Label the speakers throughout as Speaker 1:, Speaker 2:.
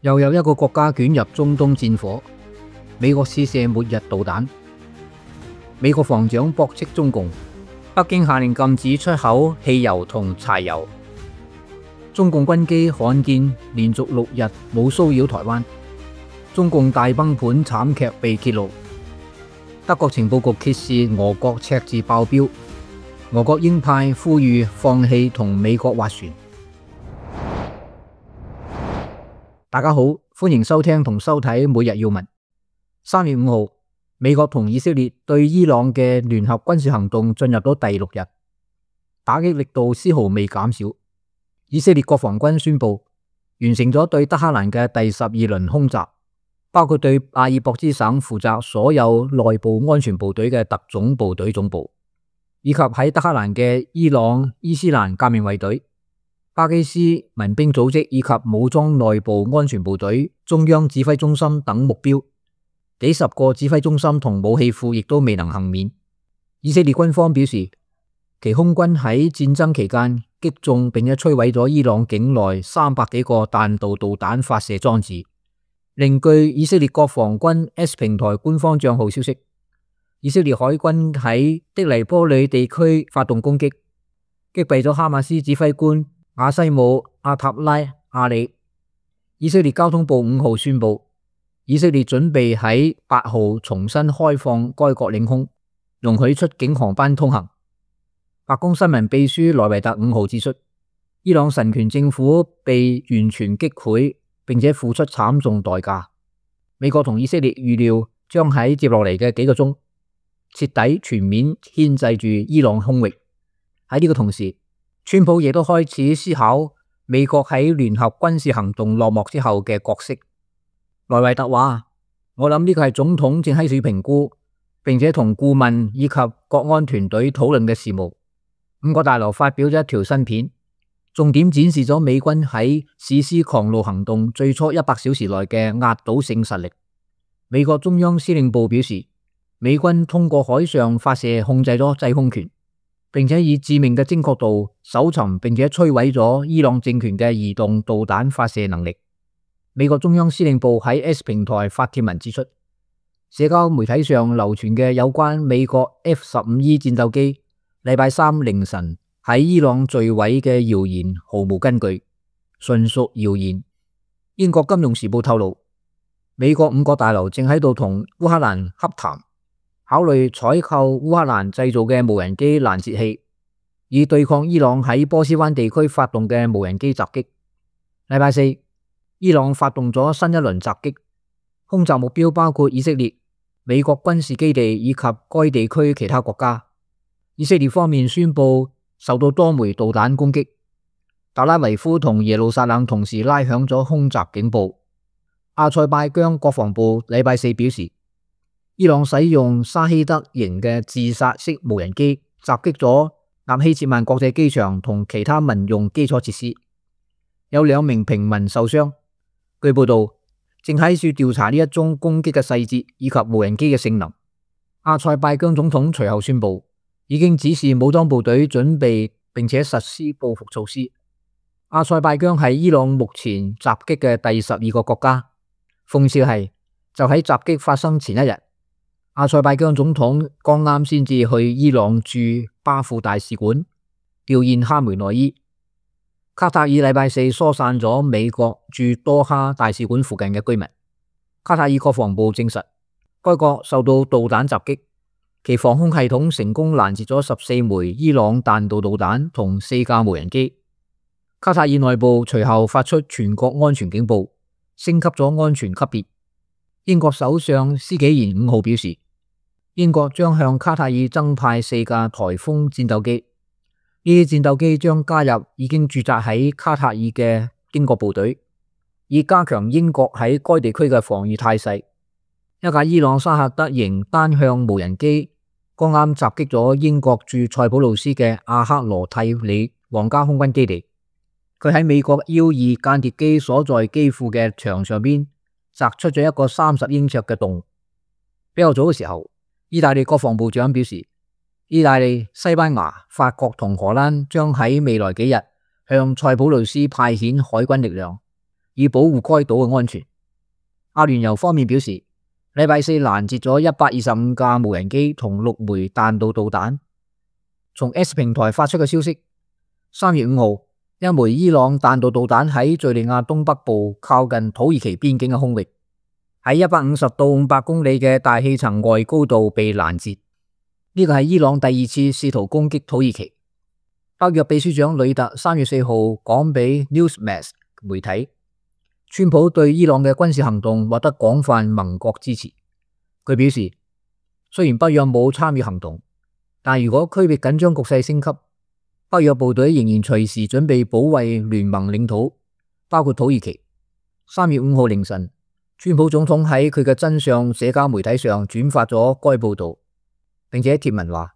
Speaker 1: 又有一個國家捲入中東戰火，美國試射末日導彈，美國防長駁斥中共，北京下令禁止出口汽油同柴油，中共軍機罕見連續6日冇騷擾台灣，中共大崩盤慘劇被揭露，德國情報局揭示俄國赤字爆表，俄國鷹派呼籲放棄同美國斡旋。大家好，歡迎收聽同收睇每日要聞。3月5號，美國同以色列對伊朗嘅聯合軍事行動進入咗第6日，打擊力度絲毫未減少。以色列國防軍宣布完成咗對德黑蘭嘅第12輪空襲，包括對阿爾博茲省負責所有內部安全部隊嘅特種部隊總部，以及喺德黑蘭嘅伊朗伊斯蘭革命衛隊、巴基斯民兵組織以及武裝內部安全部隊中央指揮中心等目標。幾十個指揮中心同武器庫亦都未能幸免。以色列軍方表示，其空軍喺戰爭期間擊中並且摧毀咗伊朗境內300幾個彈道導彈發射裝置。另據以色列國防軍 S 平台官方賬號消息，以色列海軍喺的黎波里地區發動攻擊，擊斃咗哈馬斯指揮官亞西姆阿塔拉阿里。以色列交通部5號宣布，以色列準備喺8號重新開放該國領空，容許出境航班通行。白宮新聞秘書萊維特5號指出，伊朗神權政府被完全擊潰，並且付出慘重代價。美國同以色列預料將喺接落嚟嘅幾個鐘徹底全面牽制住伊朗空域。喺呢個同時，川普亦都開始思考美國喺聯合軍事行動落幕之後嘅角色。萊維特話：我諗呢個係總統正喺度評估，並且同顧問以及國安團隊討論嘅事務。5角大樓發表咗一條新片，重點展示咗美軍喺史詩狂怒行動最初100小時內嘅壓倒性實力。美國中央司令部表示，美軍通過海上發射控制咗制空權，並且以致命嘅精確度搜尋並且摧毀咗伊朗政權嘅移動導彈發射能力。美國中央司令部喺 S 平台發帖文指出，社交媒體上流傳嘅有關美國 F-15E 戰鬥機禮拜三凌晨喺伊朗墜毀嘅謠言毫無根據，純屬謠言。英國金融時報透露，美國5角大樓正喺度同烏克蘭洽談，考慮採購烏克蘭製造嘅無人機攔截器，以對抗伊朗喺波斯灣地區發動嘅無人機襲擊。禮拜四，伊朗發動咗新一輪襲擊，空襲目標包括以色列、美國軍事基地以及該地區其他國家。以色列方面宣布受到多枚導彈攻擊，特拉維夫同耶路撒冷同時拉響咗空襲警報。阿塞拜疆國防部禮拜四表示，伊朗使用沙希德型嘅自殺式無人機襲擊咗納希切曼國際機場同其他民用基礎設施，有2名平民受傷。據報道，正喺處調查呢一宗攻擊嘅細節以及無人機嘅性能。阿塞拜疆總統隨後宣布，已經指示武裝部隊準備並且實施報復措施。阿塞拜疆係伊朗目前襲擊嘅第12個國家。諷刺係，就喺襲擊發生前一日，阿塞拜疆總統剛啱先至去伊朗駐巴庫大使館弔唁哈梅內伊。卡塔爾禮拜四疏散咗美國駐多哈大使館附近嘅居民。卡塔爾國防部證實，該國受到導彈襲擊，其防空系統成功攔截咗14枚伊朗彈道導彈同4架無人機。卡塔爾內部隨後發出全國安全警報，升級咗安全級別。英國首相施紀賢5號表示，英國將向卡塔爾增派4架颱風戰鬥機。呢啲戰鬥機將加入已經駐紮喺卡塔爾嘅英國部隊，以加強英國喺該地區嘅防禦態勢。一架伊朗沙赫德型單向無人機剛啱襲擊咗英國駐塞浦路斯嘅阿克羅蒂里皇家空軍基地。佢喺美國 U-2 間諜機所在機庫嘅牆上邊擲出咗一個30英尺嘅洞。比較早嘅時候，意大利國防部長表示，意大利、西班牙、法國同荷蘭將喺未來幾日向塞浦路斯派遣海軍力量，以保護該島嘅安全。阿聯酋方面表示，禮拜四攔截咗125架無人機同6枚彈道導彈。從 X 平台發出嘅消息，3月5號，一枚伊朗彈道導彈喺敘利亞東北部靠近土耳其邊境嘅空域，喺150到500公里嘅大氣層外高度被攔截。呢個係伊朗第2次試圖攻擊土耳其。北約秘書長呂特3月4號講俾 Newsmax 媒體，川普對伊朗嘅軍事行動獲得廣泛盟國支持。佢表示，雖然北約冇參與行動，但如果區域緊張局勢升級，北約部隊仍然隨時準備保衛聯盟領土，包括土耳其。3月5號凌晨，川普總統喺佢嘅真相社交媒體上轉發咗該報道，並且貼文話，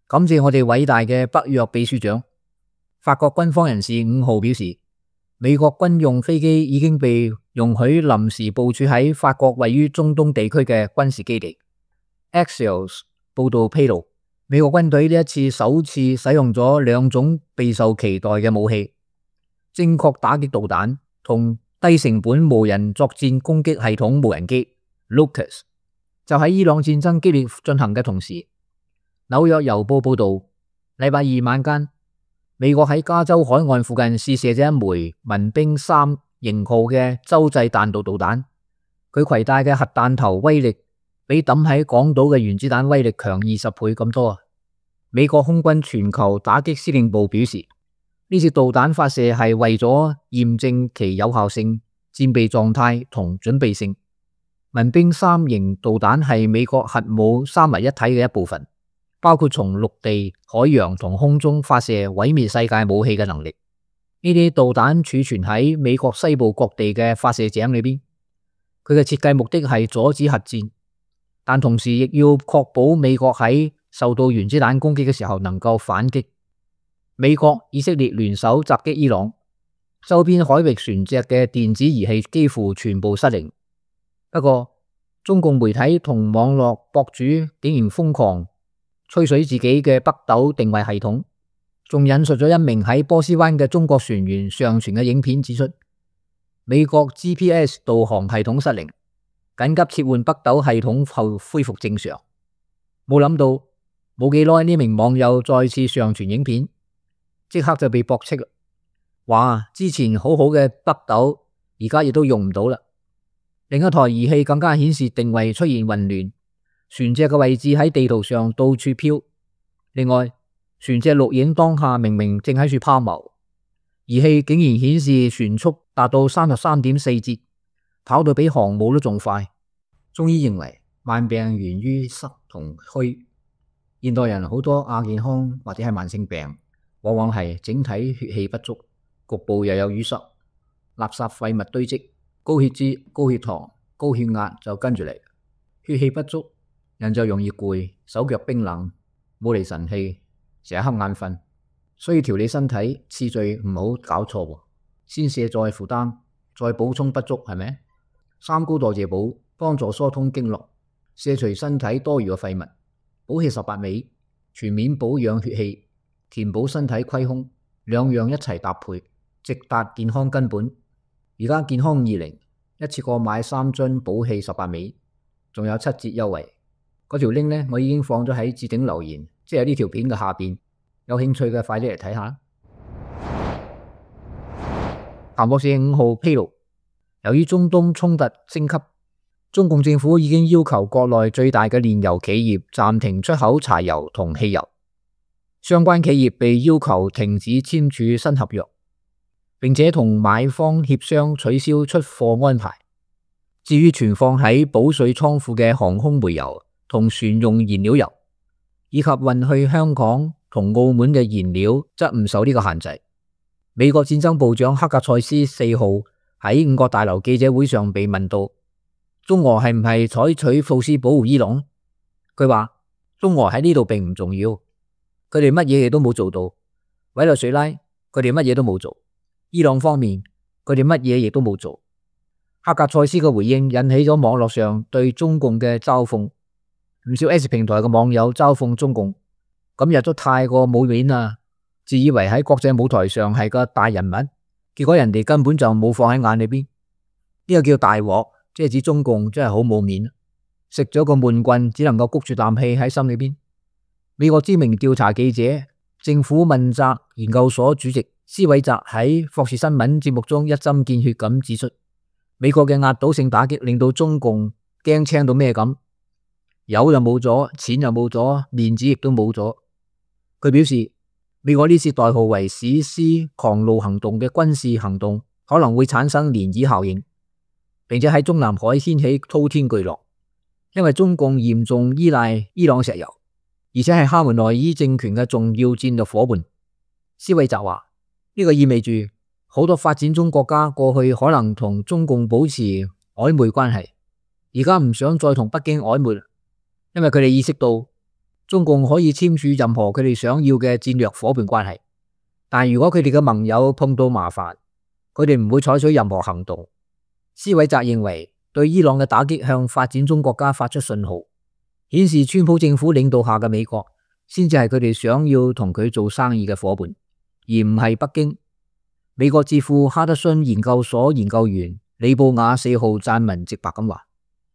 Speaker 1: 感謝我哋偉大嘅北約秘書長。法國軍方人士5號表示，美國軍用飛機已經被容許臨時部署喺法國位於中東地區嘅軍事基地。Axios 報道披露，美國軍隊呢一次首次使用咗2種備受期待嘅武器：精確打擊導彈同低成本無人作戰攻擊系統無人機 Lucas。就喺伊朗戰爭激烈進行嘅同時，紐約郵報報道，禮拜二晚間，美國喺加州海岸附近試射咗一枚民兵3型號嘅洲際彈道導彈，佢攜帶嘅核彈頭威力比抌喺港島嘅原子彈威力強20倍咁多啊！美國空軍全球打擊司令部表示，呢次導彈發射係為咗驗證其有效性、戰備狀態同準備性。民兵3型導彈係美國核武三位一體嘅一部分，包括從陸地、海洋同空中發射毀滅世界武器嘅能力。呢啲導彈儲存喺美國西部各地嘅發射井裏邊，佢嘅設計目的係阻止核戰，但同時亦要確保美國喺受到原子彈攻擊嘅時候能夠反擊。美國、以色列聯手襲擊伊朗，周邊海域船隻嘅電子儀器幾乎全部失靈。不過，中共媒體同網絡博主竟然瘋狂吹水自己嘅北斗定位系統，仲引述咗一名喺波斯灣嘅中國船員上傳嘅影片，指出美國 GPS 導航系統失靈，緊急切換北斗系統後恢復正常。冇諗到冇幾耐，呢名網友再次上傳影片，即刻就被駁斥啦，話之前好好嘅北斗而家亦都用唔到啦。另一台儀器更加顯示定位出現混亂，船隻嘅位置喺地圖上到處飄。另外，船隻錄影當下明明正喺處拋錨，儀器竟然顯示船速達到33.4節，跑到比航母都仲快。中醫認為萬病源於濕同虛，現代人好多亞健康或者係慢性病，往往係整體血氣不足，局部又有淤塞，垃圾廢物堆積，高血脂、高血糖、高血壓就跟住嚟。血氣不足，人就容易攰，手腳冰冷，冇嚟神氣，成日瞌眼瞓。所以調理身體次序唔好搞錯，先卸載負擔，再補充不足，係咪？三高代謝補幫助疏通經絡，卸除身體多餘嘅廢物，補氣18味，全面保養血氣，填補身體虧空，兩樣一齊搭配，直達健康根本。而家健康20一次過買3樽補氣18味，仲有7折優惠。嗰條 link 呢，我已經放咗喺置頂留言，即係呢條片嘅下邊。有興趣嘅快啲嚟睇下。彭博社5號披露，由於中東衝突升級，中共政府已經要求國內最大嘅煉油企業暫停出口柴油同汽油，相關企業被要求停止簽署新合約，並且同買方協商取消出貨安排。至於存放喺保水倉庫嘅航空煤油同船用燃料油，以及運去香港同澳門嘅燃料，則唔受呢個限制。美國戰爭部長克格塞斯4號喺五角大樓記者會上被問到，中俄係唔係採取措施保護伊朗？佢話中俄喺呢度並唔重要，佢哋乜嘢嘢都冇做到。委內瑞拉佢哋乜嘢都冇做，伊朗方面佢哋乜嘢亦都冇做。克格塞斯嘅回應引起咗網絡上對中共嘅嘲諷，唔少 S 平台嘅網友嘲諷中共今日都太過冇面啦，自以為喺國際舞台上係個大人物，結果人哋根本就冇放喺眼裏邊。呢個叫大鑊，即係指中共真係好冇面，食咗個悶棍，只能夠谷住啖氣喺心裏邊。美國知名調查記者、政府問責研究所主席施韋澤喺霍士新聞節目中一針見血咁指出，美國嘅壓倒性打擊令到中共驚青到咩咁，油就冇咗，錢又冇咗，面子亦都冇咗。佢表示，美國呢次代號為史詩狂怒行動嘅軍事行動可能會產生漣漪效應，並且喺中南海掀起滔天巨浪，因為中共嚴重依賴伊朗石油，而且係哈梅內伊政權嘅重要戰略夥伴。施韋澤話，呢個意味住好多發展中國家過去可能同中共保持曖昧關係，而家唔想再同北京曖昧，因為佢哋意識到中共可以簽署任何佢哋想要嘅戰略夥伴關係，但如果佢哋嘅盟友碰到麻煩，佢哋唔會採取任何行動。施韋澤認為，對伊朗嘅打擊向發展中國家發出信號，顯示川普政府領導下嘅美國先至係佢哋想要同佢做生意嘅夥伴，而唔係北京。美國智庫哈德遜研究所研究員李布雅4號撰文直白咁話，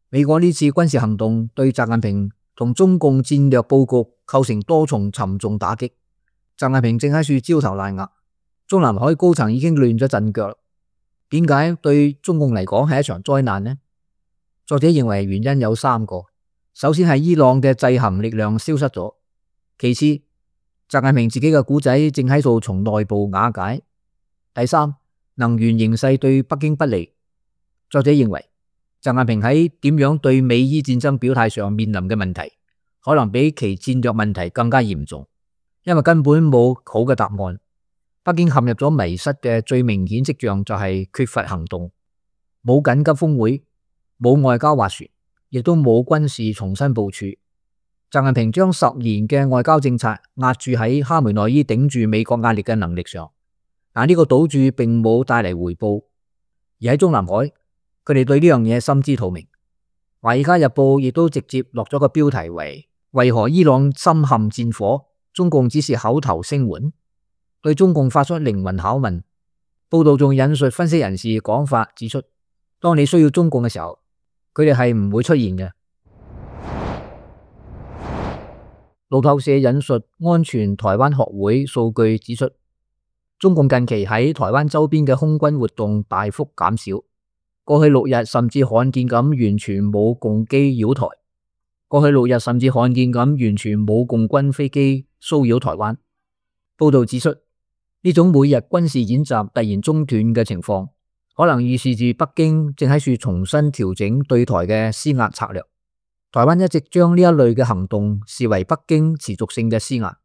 Speaker 1: 美國呢次軍事行動對習近平同中共戰略布局構成多重沉重打擊。習近平正喺處焦頭爛額，中南海高層已經亂咗陣腳。點解對中共嚟講係一場災難呢？作者認為原因有3個。首先係伊朗嘅制衡力量消失咗，其次習近平自己嘅故仔正喺度從內部瓦解，第三，能源形勢對北京不利。作者認為習近平喺點樣對美伊戰爭表態上面臨嘅問題，可能比其戰略問題更加嚴重，因為根本冇好嘅答案。北京陷入咗迷失嘅最明顯跡象就係缺乏行動，冇緊急峰會，冇外交斡旋，亦都冇軍事重新部署。習近平將10年嘅外交政策壓住喺哈梅內伊頂住美國壓力嘅能力上，但呢個賭注並冇帶嚟回報。而喺中南海，佢哋對呢樣嘢心知肚明。華爾街日報亦都直接落咗個標題為何伊朗深陷戰火，中共只是口頭聲援，對中共發出靈魂拷問。報道仲引述分析人士講法，指出當你需要中共嘅時候，佢哋係唔會出現嘅。路透社引述安全台灣學會數據指出，中共近期喺台灣周邊嘅空軍活動大幅減少，過去6日甚至罕見咁完全冇共機擾台，過去6日甚至罕見咁完全冇共軍飛機騷擾台灣。報道指出，呢種每日軍事演習突然中斷嘅情況，可能預示住北京正喺處重新調整對台嘅施壓策略。台灣一直將呢一類嘅行動視為北京持續性嘅施壓，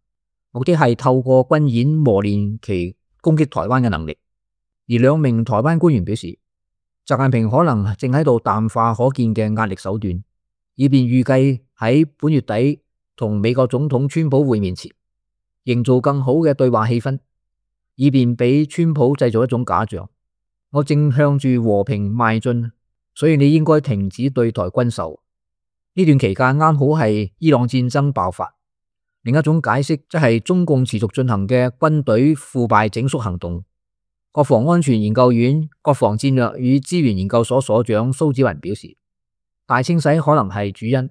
Speaker 1: 目的係透過軍演磨練其攻擊台灣嘅能力。而2名台灣官員表示，習近平可能正喺度淡化可見嘅壓力手段，以便預計喺本月底同美國總統川普會面前，營造更好嘅對話氣氛，以便俾川普製造一種假象，我正向住和平邁進，所以你應該停止對台軍售。呢段期間啱好係伊朗戰爭爆發。另一種解釋則係中共持續進行嘅軍隊腐敗整肅行動。國防安全研究院國防戰略與資源研究所所長蘇紫雲表示，大清洗可能係主因。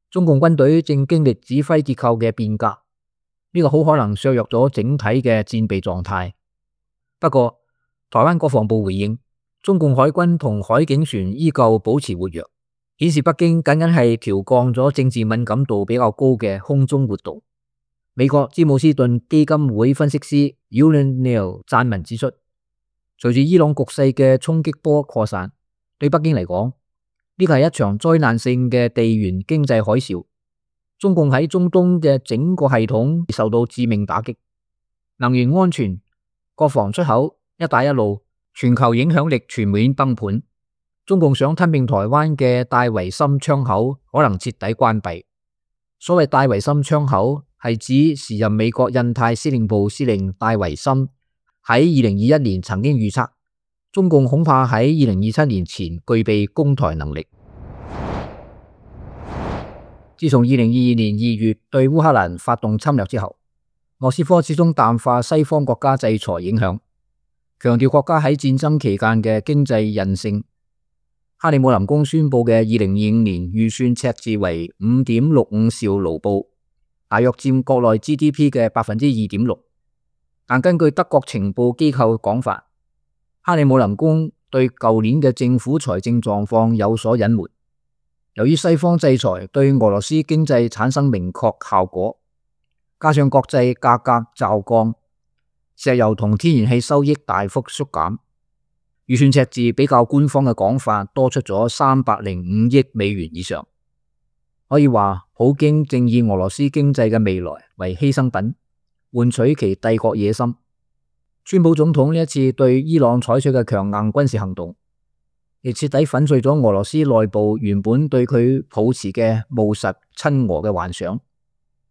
Speaker 1: 中共軍隊正經歷指揮結構嘅變革，呢個好可能削弱咗整體嘅戰備狀態。不過，台灣國防部回應，中共海軍同海警船依舊保持活躍，顯示北京僅僅係調降咗政治敏感度比較高嘅空中活動。美國詹姆斯頓基金會分析師 Yuan Neil 撰文指出，隨住伊朗局勢嘅衝擊波擴散，對北京嚟講，呢個係一場災難性嘅地緣經濟海嘯。中共喺中東嘅整個系統受到致命打擊，能源安全、國防出口、一帶一路，全球影響力全面崩盤。中共想吞併台灣嘅戴維森窗口可能徹底關閉。所謂戴維森窗口係指時任美國印太司令部司令戴維森喺2021年曾經預測，中共恐怕喺2027年前具備攻台能力。自從2022年2月對烏克蘭發動侵略之後，莫斯科始終淡化西方國家制裁影響，強調國家喺戰爭期間嘅經濟韌性，克里姆林宮宣布嘅2025年預算赤字為5.65兆盧布，大約佔國內 GDP 嘅2.6%。但根據德國情報機構講法，克里姆林宮對舊年嘅政府財政狀況有所隱瞞。由於西方制裁對俄羅斯經濟產生明確效果，加上國際價格驟降，石油同天然氣收益大幅縮減，預算赤字比較官方嘅講法多出咗305億美元以上。可以話，普京正以俄羅斯經濟嘅未來為犧牲品，換取其帝國野心。川普總統呢一次對伊朗採取嘅強硬軍事行動，亦徹底粉碎咗俄羅斯內部原本對佢抱持嘅務實親俄嘅幻想。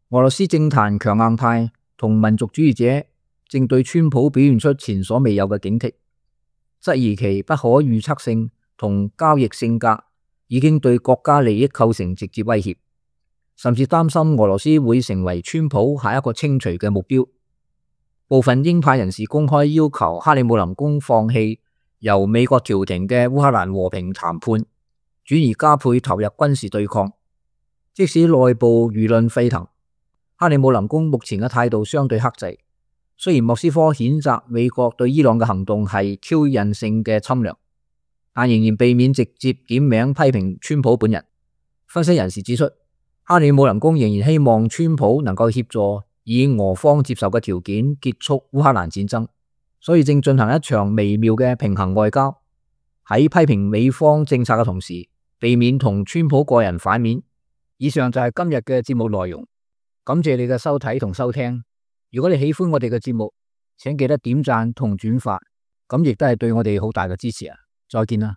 Speaker 1: 俄羅斯政壇強硬派同民族主義者正對川普表現出前所未有嘅警惕，質疑其不可預測性同交易性格已經對國家利益構成直接威脅，甚至擔心俄羅斯會成為川普下一個清除嘅目標。部分鷹派人士公開要求克里姆林宮放棄由美國調停嘅烏克蘭和平談判，轉而加倍投入軍事對抗。即使內部輿論沸騰，克里姆林宮目前嘅態度相對克制。雖然莫斯科譴責美國對伊朗嘅行動係挑釁性嘅侵略，但仍然避免直接點名批評川普本人。分析人士指出，克里姆林宮仍然希望川普能夠協助以俄方接受嘅條件結束烏克蘭戰爭，所以正進行一場微妙嘅平衡外交，喺批評美方政策嘅同時，避免同川普個人反面。以上就係今日嘅節目內容，感謝你嘅收睇同收聽。如果你喜歡我哋嘅節目，請記得點讚同轉發，咁亦都係對我哋好大嘅支持啊！再見啦。